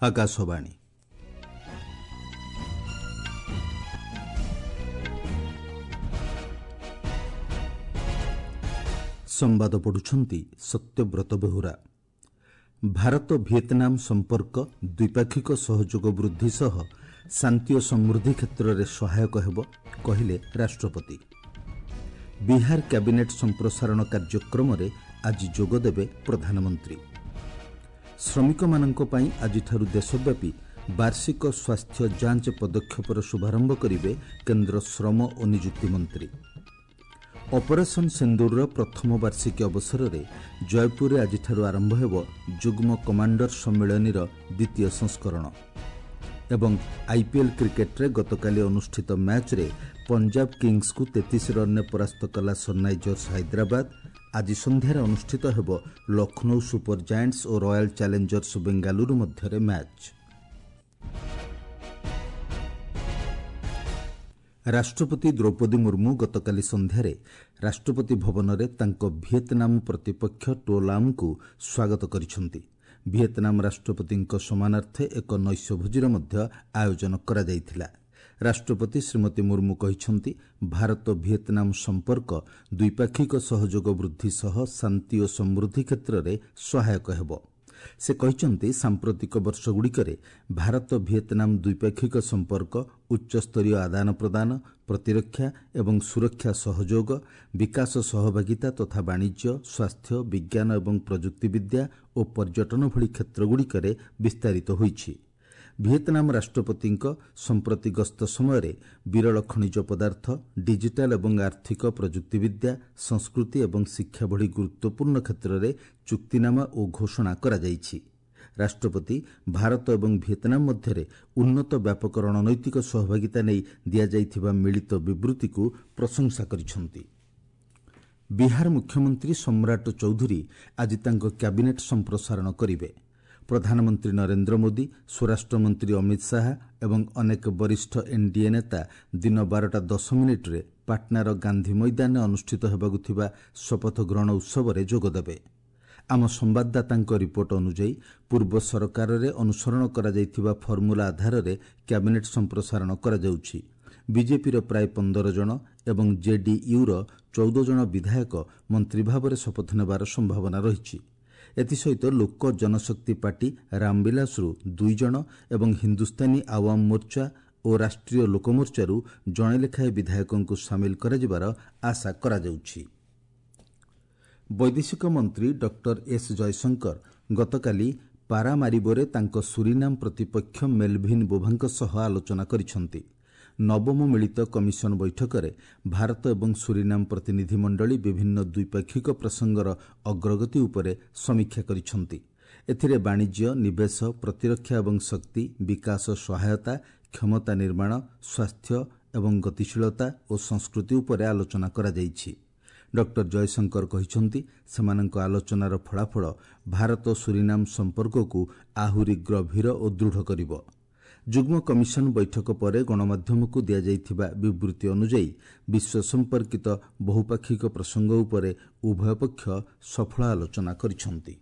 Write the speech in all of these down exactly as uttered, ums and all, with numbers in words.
ଆକାଶବାଣୀ। ସମ୍ବାଦ ପଢୁଛନ୍ତି ସତ୍ୟବ୍ରତ ବେହୁରା। ଭାରତ ଭିଏତନାମ ସମ୍ପର୍କ ଦ୍ୱିପାକ୍ଷିକ ସହଯୋଗ ବୃଦ୍ଧି ସହ ଶାନ୍ତି ଓ ସମୃଦ୍ଧି କ୍ଷେତ୍ରରେ ସହାୟକ ହେବ, କହିଲେ ରାଷ୍ଟ୍ରପତି। ବିହାର କ୍ୟାବିନେଟ୍ ସମ୍ପ୍ରସାରଣ କାର୍ଯ୍ୟକ୍ରମରେ ଆଜି ଯୋଗଦେବେ ପ୍ରଧାନମନ୍ତ୍ରୀ। ଶ୍ରମିକମାନଙ୍କ ପାଇଁ ଆଜିଠାରୁ ଦେଶବ୍ୟାପୀ ବାର୍ଷିକ ସ୍ୱାସ୍ଥ୍ୟ ଯାଞ୍ଚ ପଦକ୍ଷେପର ଶୁଭାରମ୍ଭ କରିବେ କେନ୍ଦ୍ର ଶ୍ରମ ଓ ନିଯୁକ୍ତି ମନ୍ତ୍ରୀ। ଅପରେସନ୍ ସିନ୍ଦୁରର ପ୍ରଥମ ବାର୍ଷିକୀ ଅବସରରେ ଜୟପୁରରେ ଆଜିଠାରୁ ଆରମ୍ଭ ହେବ ଯୁଗ୍ମ କମାଣ୍ଡର ସମ୍ମିଳନୀର ଦ୍ୱିତୀୟ ସଂସ୍କରଣ। ଏବଂ ଆଇପିଏଲ୍ କ୍ରିକେଟ୍ରେ ଗତକାଲି ଅନୁଷ୍ଠିତ ମ୍ୟାଚ୍ରେ ପଞ୍ଜାବ କିଙ୍ଗସ୍କୁ ତେତିଶ ରନ୍ରେ ପରାସ୍ତ କଲା ସନ୍ରାଇଜର୍ସ ହାଇଦ୍ରାବାଦ। ଆଜି ସନ୍ଧ୍ୟାରେ ଅନୁଷ୍ଠିତ ହେବ ଲକ୍ଷ୍ନୌ ସୁପର ଜାଏଣ୍ଟସ୍ ଓ ରୟାଲ ଚ୍ୟାଲେଞ୍ଜର୍ସ ବେଙ୍ଗାଲୁରୁ ମଧ୍ୟରେ ମ୍ୟାଚ୍। ରାଷ୍ଟ୍ରପତି ଦ୍ରୌପଦୀ ମୁର୍ମୁ ଗତକାଲି ସନ୍ଧ୍ୟାରେ ରାଷ୍ଟ୍ରପତି ଭବନରେ ତାଙ୍କ ଭିଏତନାମ ପ୍ରତିପକ୍ଷ ଟୋ ଲାମ୍ଙ୍କୁ ସ୍ୱାଗତ କରିଛନ୍ତି। ଭିଏତନାମ ରାଷ୍ଟ୍ରପତିଙ୍କ ସମ୍ମାନାର୍ଥେ ଏକ ନୈଶଭୋଜିର ମଧ୍ୟ ଆୟୋଜନ କରାଯାଇଥିଲା। ରାଷ୍ଟ୍ରପତି ଶ୍ରୀମତୀ ମୁର୍ମୁ କହିଛନ୍ତି, ଭାରତ ଭିଏତନାମ ସମ୍ପର୍କ ଦ୍ୱିପାକ୍ଷିକ ସହଯୋଗ ବୃଦ୍ଧି ସହ ଶାନ୍ତି ଓ ସମୃଦ୍ଧି କ୍ଷେତ୍ରରେ ସହାୟକ ହେବ। ସେ କହିଛନ୍ତି, ସାମ୍ପ୍ରତିକ ବର୍ଷଗୁଡ଼ିକରେ ଭାରତ ଭିଏତନାମ ଦ୍ୱିପାକ୍ଷିକ ସମ୍ପର୍କ ଉଚ୍ଚସ୍ତରୀୟ ଆଦାନ ପ୍ରଦାନ, ପ୍ରତିରକ୍ଷା ଏବଂ ସୁରକ୍ଷା ସହଯୋଗ, ବିକାଶ ସହଭାଗିତା ତଥା ବାଣିଜ୍ୟ, ସ୍ୱାସ୍ଥ୍ୟ, ବିଜ୍ଞାନ ଏବଂ ପ୍ରଯୁକ୍ତିବିଦ୍ୟା ଓ ପର୍ଯ୍ୟଟନ ଭଳି କ୍ଷେତ୍ରଗୁଡ଼ିକରେ ବିସ୍ତାରିତ ହୋଇଛି। ଭିଏତନାମ ରାଷ୍ଟ୍ରପତିଙ୍କ ସମ୍ପ୍ରତି ଗସ୍ତ ସମୟରେ ବିରଳ ଖଣିଜ ପଦାର୍ଥ, ଡିଜିଟାଲ ଏବଂ ଆର୍ଥିକ ପ୍ରଯୁକ୍ତିବିଦ୍ୟା, ସଂସ୍କୃତି ଏବଂ ଶିକ୍ଷା ଭଳି ଗୁରୁତ୍ୱପୂର୍ଣ୍ଣ କ୍ଷେତ୍ରରେ ଚୁକ୍ତିନାମା ଓ ଘୋଷଣା କରାଯାଇଛି। ରାଷ୍ଟ୍ରପତି ଭାରତ ଏବଂ ଭିଏତନାମ ମଧ୍ୟରେ ଉନ୍ନତ ବ୍ୟାପକ ରଣନୈତିକ ସହଭାଗିତା ନେଇ ଦିଆଯାଇଥିବା ମିଳିତ ବିବୃତ୍ତିକୁ ପ୍ରଶଂସା କରିଛନ୍ତି। ବିହାର ମୁଖ୍ୟମନ୍ତ୍ରୀ ସମ୍ରାଟ ଚୌଧୁରୀ ଆଜି ତାଙ୍କ କ୍ୟାବିନେଟ୍ ସମ୍ପ୍ରସାରଣ କରିବେ। ପ୍ରଧାନମନ୍ତ୍ରୀ ନରେନ୍ଦ୍ର ମୋଦି, ସ୍ୱରାଷ୍ଟ୍ରମନ୍ତ୍ରୀ ଅମିତ ଶାହା ଏବଂ ଅନେକ ବରିଷ୍ଠ ଏନ୍ଡିଏ ନେତା ଦିନ ବାରଟା ଦଶ ମିନିଟ୍ରେ ପାଟନାର ଗାନ୍ଧି ମଇଦାନରେ ଅନୁଷ୍ଠିତ ହେବାକୁ ଥିବା ଶପଥ ଗ୍ରହଣ ଉତ୍ସବରେ ଯୋଗଦେବେ। ଆମ ସମ୍ବାଦଦାତାଙ୍କ ରିପୋର୍ଟ ଅନୁଯାୟୀ, ପୂର୍ବ ସରକାରରେ ଅନୁସରଣ କରାଯାଇଥିବା ଫର୍ମୁଲା ଆଧାରରେ କ୍ୟାବିନେଟ୍ ସମ୍ପ୍ରସାରଣ କରାଯାଉଛି। ବିଜେପିର ପ୍ରାୟ ପନ୍ଦର ଜଣ ଏବଂ ଜେଡିୟୁର ଚଉଦ ଜଣ ବିଧାୟକ ମନ୍ତ୍ରୀ ଭାବରେ ଶପଥ ନେବାର ସମ୍ଭାବନା ରହିଛି। ଏଥିସହିତ ଲୋକ ଜନଶକ୍ତି ପାର୍ଟି ରାମବିଳାସରୁ ଦୁଇ ଜଣ ଏବଂ ହିନ୍ଦୁସ୍ତାନୀ ଆୱାମ ମୋର୍ଚ୍ଚା ଓ ରାଷ୍ଟ୍ରୀୟ ଲୋକମୋର୍ଚ୍ଚାରୁ ଜଣେ ଲେଖାଏଁ ବିଧାୟକଙ୍କୁ ସାମିଲ କରାଯିବାର ଆଶା କରାଯାଉଛି। ବୈଦେଶିକ ମନ୍ତ୍ରୀ ଡକ୍ଟର ଏସ୍ ଜୟଶଙ୍କର ଗତକାଲି ପାରାମାରିବୋରେ ତାଙ୍କ ସୁରିନାମ ପ୍ରତିପକ୍ଷ ମେଲଭିନ୍ ବୋଭାଙ୍କ ସହ ଆଲୋଚନା କରିଛନ୍ତି। ନବମ ମିଳିତ କମିଶନ ବୈଠକରେ ଭାରତ ଏବଂ ସୁରିନାମ ପ୍ରତିନିଧିମଣ୍ଡଳୀ ବିଭିନ୍ନ ଦ୍ୱିପାକ୍ଷିକ ପ୍ରସଙ୍ଗର ଅଗ୍ରଗତି ଉପରେ ସମୀକ୍ଷା କରିଛନ୍ତି। ଏଥିରେ ବାଣିଜ୍ୟ, ନିବେଶ, ପ୍ରତିରକ୍ଷା ଏବଂ ଶକ୍ତି, ବିକାଶ ସହାୟତା, କ୍ଷମତା ନିର୍ମାଣ, ସ୍ୱାସ୍ଥ୍ୟ ଏବଂ ଗତିଶୀଳତା ଓ ସଂସ୍କୃତି ଉପରେ ଆଲୋଚନା କରାଯାଇଛି। ଡକ୍ଟର ଜୟଶଙ୍କର କହିଛନ୍ତି, ସେମାନଙ୍କ ଆଲୋଚନାର ଫଳାଫଳ ଭାରତ ସୁରିନାମ ସମ୍ପର୍କକୁ ଆହୁରି ଗଭୀର ଓ ଦୃଢ଼ କରିବ। ଯୁଗ୍ମ କମିଶନ ବୈଠକ ପରେ ଗଣମାଧ୍ୟମକୁ ଦିଆଯାଇଥିବା ବିବୃତ୍ତି ଅନୁଯାୟୀ, ବିଶ୍ୱ ସମ୍ପର୍କିତ ବହୁପାକ୍ଷିକ ପ୍ରସଙ୍ଗ ଉପରେ ଉଭୟ ପକ୍ଷ ସଫଳ ଆଲୋଚନା କରିଛନ୍ତି।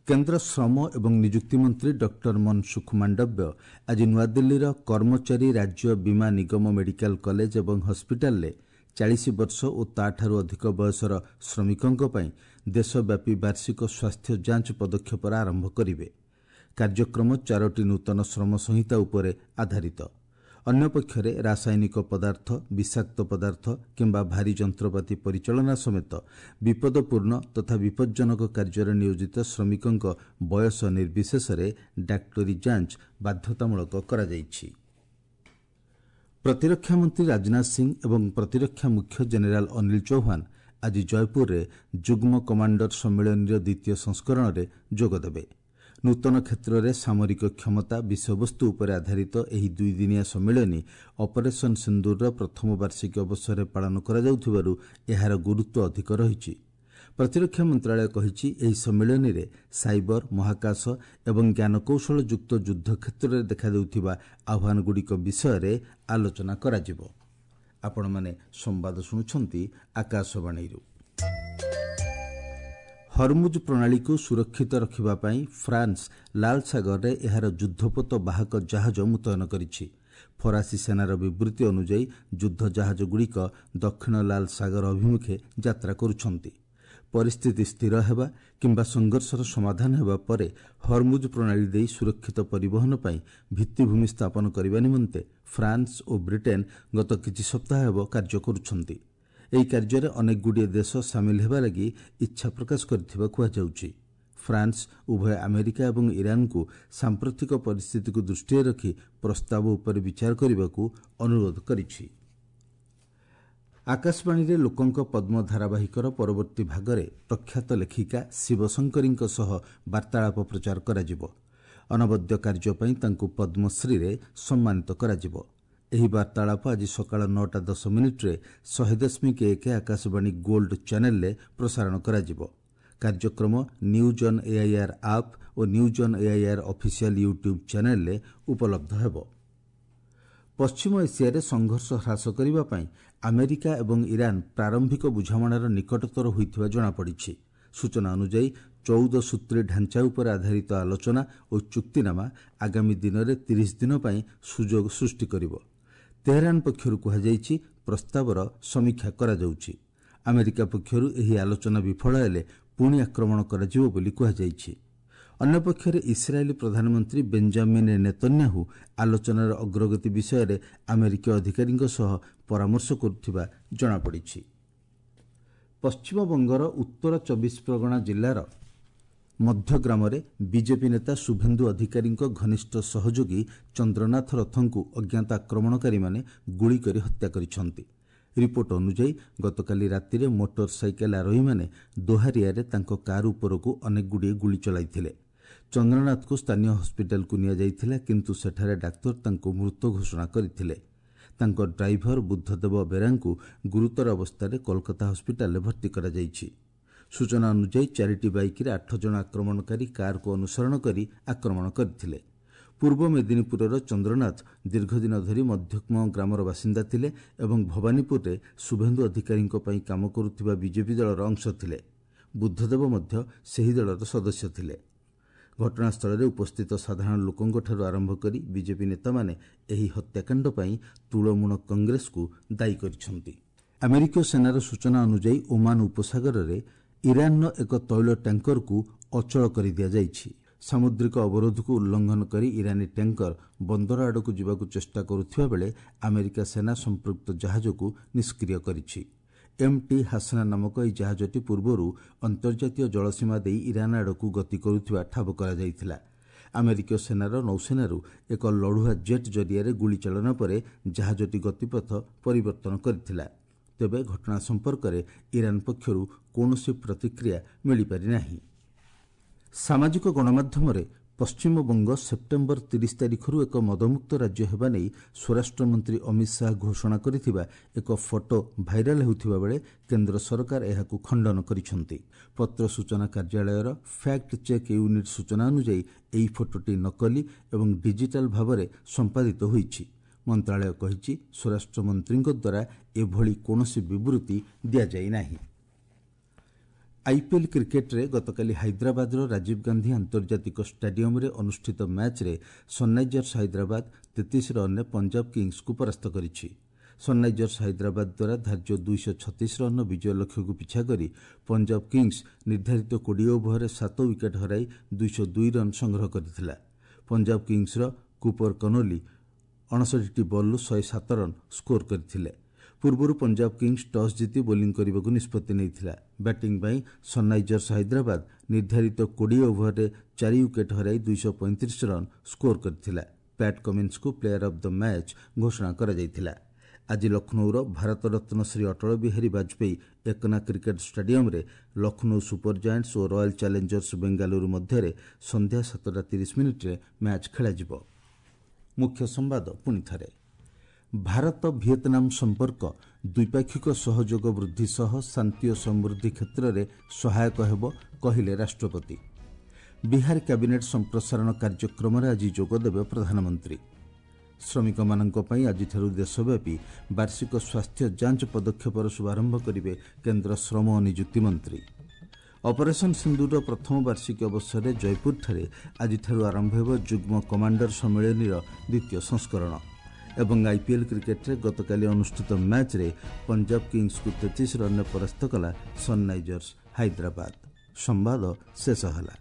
କେନ୍ଦ୍ର ଶ୍ରମ ଏବଂ ନିଯୁକ୍ତି ମନ୍ତ୍ରୀ ଡକ୍ଟର ମନସୁଖ ମାଣ୍ଡବ୍ୟ ଆଜି ନୂଆଦିଲ୍ଲୀର କର୍ମଚାରୀ ରାଜ୍ୟ ବୀମା ନିଗମ ମେଡିକାଲ କଲେଜ ଏବଂ ହସ୍ପିଟାଲରେ ଚାଳିଶ ବର୍ଷ ଓ ତା'ଠାରୁ ଅଧିକ ବୟସର ଶ୍ରମିକଙ୍କ ପାଇଁ ଦେଶବ୍ୟାପୀ ବାର୍ଷିକ ସ୍ୱାସ୍ଥ୍ୟ ଯାଞ୍ଚ ପଦକ୍ଷେପର ଆରମ୍ଭ କରିବେ। କାର୍ଯ୍ୟକ୍ରମ ଚାରୋଟି ନୂତନ ଶ୍ରମ ସଂହିତା ଉପରେ ଆଧାରିତ। ଅନ୍ୟପକ୍ଷରେ ରାସାୟନିକ ପଦାର୍ଥ, ବିଷାକ୍ତ ପଦାର୍ଥ କିମ୍ବା ଭାରୀ ଯନ୍ତ୍ରପାତି ପରିଚାଳନା ସମେତ ବିପଦପୂର୍ଣ୍ଣ ତଥା ବିପଜ୍ଜନକ କାର୍ଯ୍ୟରେ ନିୟୋଜିତ ଶ୍ରମିକଙ୍କ ବୟସ ନିର୍ବିଶେଷରେ ଡାକ୍ତରୀ ଯାଞ୍ଚ ବାଧ୍ୟତାମୂଳକ କରାଯାଇଛି। ପ୍ରତିରକ୍ଷା ମନ୍ତ୍ରୀ ରାଜନାଥ ସିଂ ଏବଂ ପ୍ରତିରକ୍ଷା ମୁଖ୍ୟ ଜେନେରାଲ ଅନିଲ ଚୌହାନ ଆଜି ଜୟପୁରରେ ଯୁଗ୍ମ କମାଣ୍ଡର ସମ୍ମିଳନୀର ଦ୍ୱିତୀୟ ସଂସ୍କରଣରେ ଯୋଗଦେବେ। ନୂତନ କ୍ଷେତ୍ରରେ ସାମରିକ କ୍ଷମତା ବିଷୟବସ୍ତୁ ଉପରେ ଆଧାରିତ ଏହି ଦୁଇଦିନିଆ ସମ୍ମିଳନୀ ଅପରେସନ୍ ସିନ୍ଦୁରର ପ୍ରଥମ ବାର୍ଷିକୀ ଅବସରରେ ପାଳନ କରାଯାଉଥିବାରୁ ଏହାର ଗୁରୁତ୍ୱ ଅଧିକ ରହିଛି। ପ୍ରତିରକ୍ଷା ମନ୍ତ୍ରଣାଳୟ କହିଛି, ଏହି ସମ୍ମିଳନୀରେ ସାଇବର, ମହାକାଶ ଏବଂ ଜ୍ଞାନକୌଶଳଯୁକ୍ତ ଯୁଦ୍ଧ କ୍ଷେତ୍ରରେ ଦେଖାଦେଉଥିବା ଆହ୍ୱାନଗୁଡ଼ିକ ବିଷୟରେ ଆଲୋଚନା କରାଯିବ। ଆପଣମାନେ ସମ୍ବାଦ ଶୁଣୁଛନ୍ତି ଆକାଶବାଣୀରୁ। ହରମୁଜ ପ୍ରଣାଳୀକୁ ସୁରକ୍ଷିତ ରଖିବା ପାଇଁ ଫ୍ରାନ୍ସ ଲାଲ ସାଗରରେ ଏହାର ଯୁଦ୍ଧପୋତ ବାହକ ଜାହାଜ ମୁତୟନ କରିଛି। ଫରାସୀ ସେନାର ବିବୃତ୍ତି ଅନୁଯାୟୀ ଯୁଦ୍ଧ ଜାହାଜଗୁଡ଼ିକ ଦକ୍ଷିଣ ଲାଲ ସାଗର ଅଭିମୁଖେ ଯାତ୍ରା କରୁଛନ୍ତି। ପରିସ୍ଥିତି ସ୍ଥିର ହେବା କିମ୍ବା ସଂଘର୍ଷର ସମାଧାନ ହେବା ପରେ ହରମୁଜ ପ୍ରଣାଳୀ ଦେଇ ସୁରକ୍ଷିତ ପରିବହନ ପାଇଁ ଭିତ୍ତିଭୂମି ସ୍ଥାପନ କରିବା ନିମନ୍ତେ ଫ୍ରାନ୍ସ ଓ ବ୍ରିଟେନ୍ ଗତ କିଛି ସପ୍ତାହ ହେବ କାର୍ଯ୍ୟ କରୁଛନ୍ତି। ଏହି କାର୍ଯ୍ୟରେ ଅନେକଗୁଡ଼ିଏ ଦେଶ ସାମିଲ ହେବା ଲାଗି ଇଚ୍ଛା ପ୍ରକାଶ କରିଥିବା କୁହାଯାଉଛି। ଫ୍ରାନ୍ସ ଉଭୟ ଆମେରିକା ଏବଂ ଇରାନକୁ ସାମ୍ପ୍ରତିକ ପରିସ୍ଥିତିକୁ ଦୃଷ୍ଟିରେ ରଖି ପ୍ରସ୍ତାବ ଉପରେ ବିଚାର କରିବାକୁ ଅନୁରୋଧ କରିଛି। ଆକାଶବାଣୀରେ ଲୋକଙ୍କ ପଦ୍ମ ଧାରାବାହିକର ପରବର୍ତ୍ତୀ ଭାଗରେ ପ୍ରଖ୍ୟାତ ଲେଖିକା ଶିବଶଙ୍କରୀଙ୍କ ସହ ବାର୍ତ୍ତାଳାପ ପ୍ରଚାର କରାଯିବ। ଅନବଦ୍ୟ କାର୍ଯ୍ୟ ପାଇଁ ତାଙ୍କୁ ପଦ୍ମଶ୍ରୀରେ ସମ୍ମାନିତ କରାଯିବ। ଏହି ବାର୍ତ୍ତାଳାପ ଆଜି ସକାଳ ନଅଟା ଦଶ ମିନିଟ୍ରେ ଶହେ ଦଶମିକ ଏକ ଆକାଶବାଣୀ ଗୋଲ୍ଡ ଚ୍ୟାନେଲରେ ପ୍ରସାରଣ କରାଯିବ। କାର୍ଯ୍ୟକ୍ରମ news on AIR app O news on AIR official YouTube ଚ୍ୟାନେଲରେ ଉପଲବ୍ଧ ହେବ। ପଶ୍ଚିମ ଏସିଆରେ ସଂଘର୍ଷ ହ୍ରାସ କରିବା ପାଇଁ ଆମେରିକା ଏବଂ ଇରାନ ପ୍ରାରମ୍ଭିକ ବୁଝାମଣାର ନିକଟତର ହୋଇଥିବା ଜଣାପଡ଼ିଛି। ସୂଚନା ଅନୁଯାୟୀ ଚଉଦ ସୂତ୍ରୀ ଢାଞ୍ଚା ଉପରେ ଆଧାରିତ ଆଲୋଚନା ଓ ଚୁକ୍ତିନାମା ଆଗାମୀ ଦିନରେ ତିରିଶ ଦିନ ପାଇଁ ସୁଯୋଗ ସୃଷ୍ଟି କରିବ। ତେହେରାନ ପକ୍ଷରୁ କୁହାଯାଇଛି, ପ୍ରସ୍ତାବର ସମୀକ୍ଷା କରାଯାଉଛି। ଆମେରିକା ପକ୍ଷରୁ ଏହି ଆଲୋଚନା ବିଫଳ ହେଲେ ପୁଣି ଆକ୍ରମଣ କରାଯିବ ବୋଲି କୁହାଯାଇଛି। ଅନ୍ୟପକ୍ଷରେ ଇସ୍ରାଏଲ୍ ପ୍ରଧାନମନ୍ତ୍ରୀ ବେଞ୍ଜାମିନ୍ ନେତନ୍ୟାହୁ ଆଲୋଚନାର ଅଗ୍ରଗତି ବିଷୟରେ ଆମେରିକୀୟ ଅଧିକାରୀଙ୍କ ସହ ପରାମର୍ଶ କରୁଥିବା ଜଣାପଡ଼ିଛି। ପଶ୍ଚିମବଙ୍ଗର ଉତ୍ତର ଚବିଶ ପ୍ରଗଣା ଜିଲ୍ଲାର ମଧ୍ୟଗ୍ରାମରେ ବିଜେପି ନେତା ଶୁଭେନ୍ଦୁ ଅଧିକାରୀଙ୍କ ଘନିଷ୍ଠ ସହଯୋଗୀ ଚନ୍ଦ୍ରନାଥ ରଥଙ୍କୁ ଅଜ୍ଞାତ ଆକ୍ରମଣକାରୀମାନେ ଗୁଳି କରି ହତ୍ୟା କରିଛନ୍ତି। ରିପୋର୍ଟ ଅନୁଯାୟୀ ଗତକାଲି ରାତିରେ ମୋଟର ସାଇକେଲ ଆରୋହୀମାନେ ଦୋହାରିଆରେ ତାଙ୍କ କାର୍ ଉପରକୁ ଅନେକଗୁଡ଼ିଏ ଗୁଳି ଚଳାଇଥିଲେ। ଚନ୍ଦ୍ରନାଥଙ୍କୁ ସ୍ଥାନୀୟ ହସ୍ପିଟାଲକୁ ନିଆଯାଇଥିଲା, କିନ୍ତୁ ସେଠାରେ ଡାକ୍ତର ତାଙ୍କୁ ମୃତ ଘୋଷଣା କରିଥିଲେ। ତାଙ୍କ ଡ୍ରାଇଭର ବୁଦ୍ଧଦେବ ବେରାଙ୍କୁ ଗୁରୁତର ଅବସ୍ଥାରେ କୋଲକାତା ହସ୍ପିଟାଲରେ ଭର୍ତ୍ତି କରାଯାଇଛି। ସୂଚନା ଅନୁଯାୟୀ ଚାରିଟି ବାଇକ୍ରେ ଆଠ ଜଣ ଆକ୍ରମଣକାରୀ କାର୍କୁ ଅନୁସରଣ କରି ଆକ୍ରମଣ କରିଥିଲେ। ପୂର୍ବ ମେଦିନୀପୁରର ଚନ୍ଦ୍ରନାଥ ଦୀର୍ଘଦିନ ଧରି ମଧ୍ୟମ ଗ୍ରାମର ବାସିନ୍ଦା ଥିଲେ ଏବଂ ଭବାନୀପୁରରେ ଶୁଭେନ୍ଦୁ ଅଧିକାରୀଙ୍କ ପାଇଁ କାମ କରୁଥିବା ବିଜେପି ଦଳର ଅଂଶ ଥିଲେ। ବୁଦ୍ଧଦେବ ମଧ୍ୟ ସେହି ଦଳର ସଦସ୍ୟ ଥିଲେ। ଘଟଣାସ୍ଥଳରେ ଉପସ୍ଥିତ ସାଧାରଣ ଲୋକଙ୍କଠାରୁ ଆରମ୍ଭ କରି ବିଜେପି ନେତାମାନେ ଏହି ହତ୍ୟାକାଣ୍ଡ ପାଇଁ ତୃଣମୂଳ କଂଗ୍ରେସକୁ ଦାୟୀ କରିଛନ୍ତି। ଆମେରିକୀୟ ସେନାର ସୂଚନା ଅନୁଯାୟୀ ଓମାନ ଉପସାଗରରେ ଇରାନର ଏକ ତୈଳ ଟ୍ୟାଙ୍କରକୁ ଅଚଳ କରିଦିଆଯାଇଛି। ସାମୁଦ୍ରିକ ଅବରୋଧକୁ ଉଲ୍ଲଂଘନ କରି ଇରାନୀ ଟ୍ୟାଙ୍କର ବନ୍ଦର ଆଡ଼କୁ ଯିବାକୁ ଚେଷ୍ଟା କରୁଥିବା ବେଳେ ଆମେରିକା ସେନା ସମ୍ପୃକ୍ତ ଜାହାଜକୁ ନିଷ୍କ୍ରିୟ କରିଛି। ଏମ୍ ଟି ହାସନା ନାମକ ଏହି ଜାହାଜଟି ପୂର୍ବରୁ ଅନ୍ତର୍ଜାତୀୟ ଜଳସୀମା ଦେଇ ଇରାନ ଆଡ଼କୁ ଗତି କରୁଥିବା ଠାବ କରାଯାଇଥିଲା। ଆମେରିକୀୟ ସେନାର ନୌସେନାରୁ ଏକ ଲଢୁଆ ଜେଟ୍ ଜରିଆରେ ଗୁଳିଚାଳନା ପରେ ଜାହାଜଟି ଗତିପଥ ପରିବର୍ତ୍ତନ କରିଥିଲା। ତେବେ ଘଟଣା ସମ୍ପର୍କରେ ଇରାନ ପକ୍ଷରୁ କୌଣସି ପ୍ରତିକ୍ରିୟା ମିଳିପାରିନାହିଁ। ସାମାଜିକ ଗଣମାଧ୍ୟମରେ ପଶ୍ଚିମବଙ୍ଗ ସେପ୍ଟେମ୍ବର ତିରିଶ ତାରିଖରୁ ଏକ ମଦମୁକ୍ତ ରାଜ୍ୟ ହେବା ନେଇ ସ୍ୱରାଷ୍ଟ୍ରମନ୍ତ୍ରୀ ଅମିତ ଶାହା ଘୋଷଣା କରିଥିବା ଏକ ଫଟୋ ଭାଇରାଲ ହେଉଥିବା ବେଳେ କେନ୍ଦ୍ର ସରକାର ଏହାକୁ ଖଣ୍ଡନ କରିଛନ୍ତି। ପତ୍ର ସୂଚନା କାର୍ଯ୍ୟାଳୟର ଫ୍ୟାକ୍ଟ ଚେକ୍ ୟୁନିଟ୍ ସୂଚନା ଅନୁଯାୟୀ ଏହି ଫଟୋଟି ନକଲି ଏବଂ ଡିଜିଟାଲ ଭାବରେ ସମ୍ପାଦିତ ହୋଇଛି। ମନ୍ତ୍ରଣାଳୟ କହିଛି, ସ୍ୱରାଷ୍ଟ୍ରମନ୍ତ୍ରୀଙ୍କ ଦ୍ୱାରା ଏଭଳି କୌଣସି ବିବୃତ୍ତି ଦିଆଯାଇ ନାହିଁ। ଆଇପିଏଲ୍ କ୍ରିକେଟ୍ରେ ଗତକାଲି ହାଇଦ୍ରାବାଦର ରାଜୀବ ଗାନ୍ଧୀ ଆନ୍ତର୍ଜାତିକ ଷ୍ଟାଡିୟମ୍ରେ ଅନୁଷ୍ଠିତ ମ୍ୟାଚ୍ରେ ସନ୍ରାଇଜର୍ସ ହାଇଦ୍ରାବାଦ ତେତିଶ ରନ୍ରେ ପଞ୍ଜାବ କିଙ୍ଗସ୍କୁ ପରାସ୍ତ କରିଛି। ସନ୍ରାଇଜର୍ସ ହାଇଦ୍ରାବାଦ ଦ୍ୱାରା ଧାର୍ଯ୍ୟ ଦୁଇଶହ ଛତିଶ ରନ୍ର ବିଜୟ ଲକ୍ଷ୍ୟକୁ ପିଛା କରି ପଞ୍ଜାବ କିଙ୍ଗସ୍ ନିର୍ଦ୍ଧାରିତ କୋଡ଼ିଏ ଓଭରରେ ସାତ ୱିକେଟ୍ ହରାଇ ଦୁଇଶହ ଦୁଇ ରନ୍ ସଂଗ୍ରହ କରିଥିଲା। ପଞ୍ଜାବ କିଙ୍ଗସ୍ର କୁପର କନୋଲି ଅଣଷଠିଟି ବଲ୍ରୁ ଶହେ ସାତ ରନ୍ ସ୍କୋର କରିଥିଲେ। ପୂର୍ବରୁ ପଞ୍ଜାବ କିଙ୍ଗସ୍ ଟସ୍ ଜିତି ବୋଲିଂ କରିବାକୁ ନିଷ୍ପତ୍ତି ନେଇଥିଲା। ବ୍ୟାଟିଂ ପାଇଁ ସନ୍ରାଇଜର୍ସ ହାଇଦ୍ରାବାଦ ନିର୍ଦ୍ଧାରିତ କୋଡ଼ିଏ ଓଭରରେ ଚାରି ୱିକେଟ୍ ହରାଇ ଦୁଇଶହ ପଇଁତିରିଶ ରନ୍ ସ୍କୋର କରିଥିଲା। ପ୍ୟାଟ୍ କମିନ୍ସଙ୍କୁ ପ୍ଲେୟାର ଅଫ୍ the match ଘୋଷଣା କରାଯାଇଥିଲା। ଆଜି ଲକ୍ଷ୍ନୌର ଭାରତରତ୍ନ ଶ୍ରୀ ଅଟଳ ବିହାରୀ ବାଜପେୟୀ ଏକନା କ୍ରିକେଟ୍ ଷ୍ଟାଡିୟମ୍ରେ ଲକ୍ଷ୍ନୌ ସୁପର ଜାଏଣ୍ଟସ୍ ଓ ରୟାଲ୍ ଚ୍ୟାଲେଞ୍ଜର୍ସ ବେଙ୍ଗାଲୁରୁ ମଧ୍ୟରେ ସନ୍ଧ୍ୟା ସାତଟା ତିରିଶ ମିନିଟ୍ରେ ମ୍ୟାଚ୍ ଖେଳାଯିବ। ମୁଖ୍ୟ ସମ୍ବାଦ ପୁଣି ଥରେ, ଭାରତ ଭିଏତନାମ ସମ୍ପର୍କ ଦ୍ୱିପାକ୍ଷିକ ସହଯୋଗ ବୃଦ୍ଧି ସହ ଶାନ୍ତି ଓ ସମୃଦ୍ଧି କ୍ଷେତ୍ରରେ ସହାୟକ ହେବ, କହିଲେ ରାଷ୍ଟ୍ରପତି। ବିହାର କ୍ୟାବିନେଟ୍ ସମ୍ପ୍ରସାରଣ କାର୍ଯ୍ୟକ୍ରମରେ ଆଜି ଯୋଗଦେବେ ପ୍ରଧାନମନ୍ତ୍ରୀ। ଶ୍ରମିକମାନଙ୍କ ପାଇଁ ଆଜିଠାରୁ ଦେଶବ୍ୟାପୀ ବାର୍ଷିକ ସ୍ୱାସ୍ଥ୍ୟ ଯାଞ୍ଚ ପଦକ୍ଷେପର ଶୁଭାରମ୍ଭ କରିବେ କେନ୍ଦ୍ର ଶ୍ରମ ଓ ନିଯୁକ୍ତି ମନ୍ତ୍ରୀ। ଅପରେସନ୍ ସିନ୍ଦୁରର ପ୍ରଥମ ବାର୍ଷିକୀ ଅବସରରେ ଜୟପୁରଠାରେ ଆଜିଠାରୁ ଆରମ୍ଭ ହେବ ଯୁଗ୍ମ କମାଣ୍ଡର ସମ୍ମିଳନୀର ଦ୍ୱିତୀୟ ସଂସ୍କରଣ। ଏବଂ ଆଇପିଏଲ୍ କ୍ରିକେଟ୍ରେ ଗତକାଲି ଅନୁଷ୍ଠିତ ମ୍ୟାଚ୍ରେ ପଞ୍ଜାବ କିଙ୍ଗସ୍କୁ ତେତିଶ ରନ୍ରେ ପରାସ୍ତ କଲା ସନ୍ରାଇଜର୍ସ ହାଇଦ୍ରାବାଦ। ସମ୍ବାଦ ଶେଷ ହେଲା।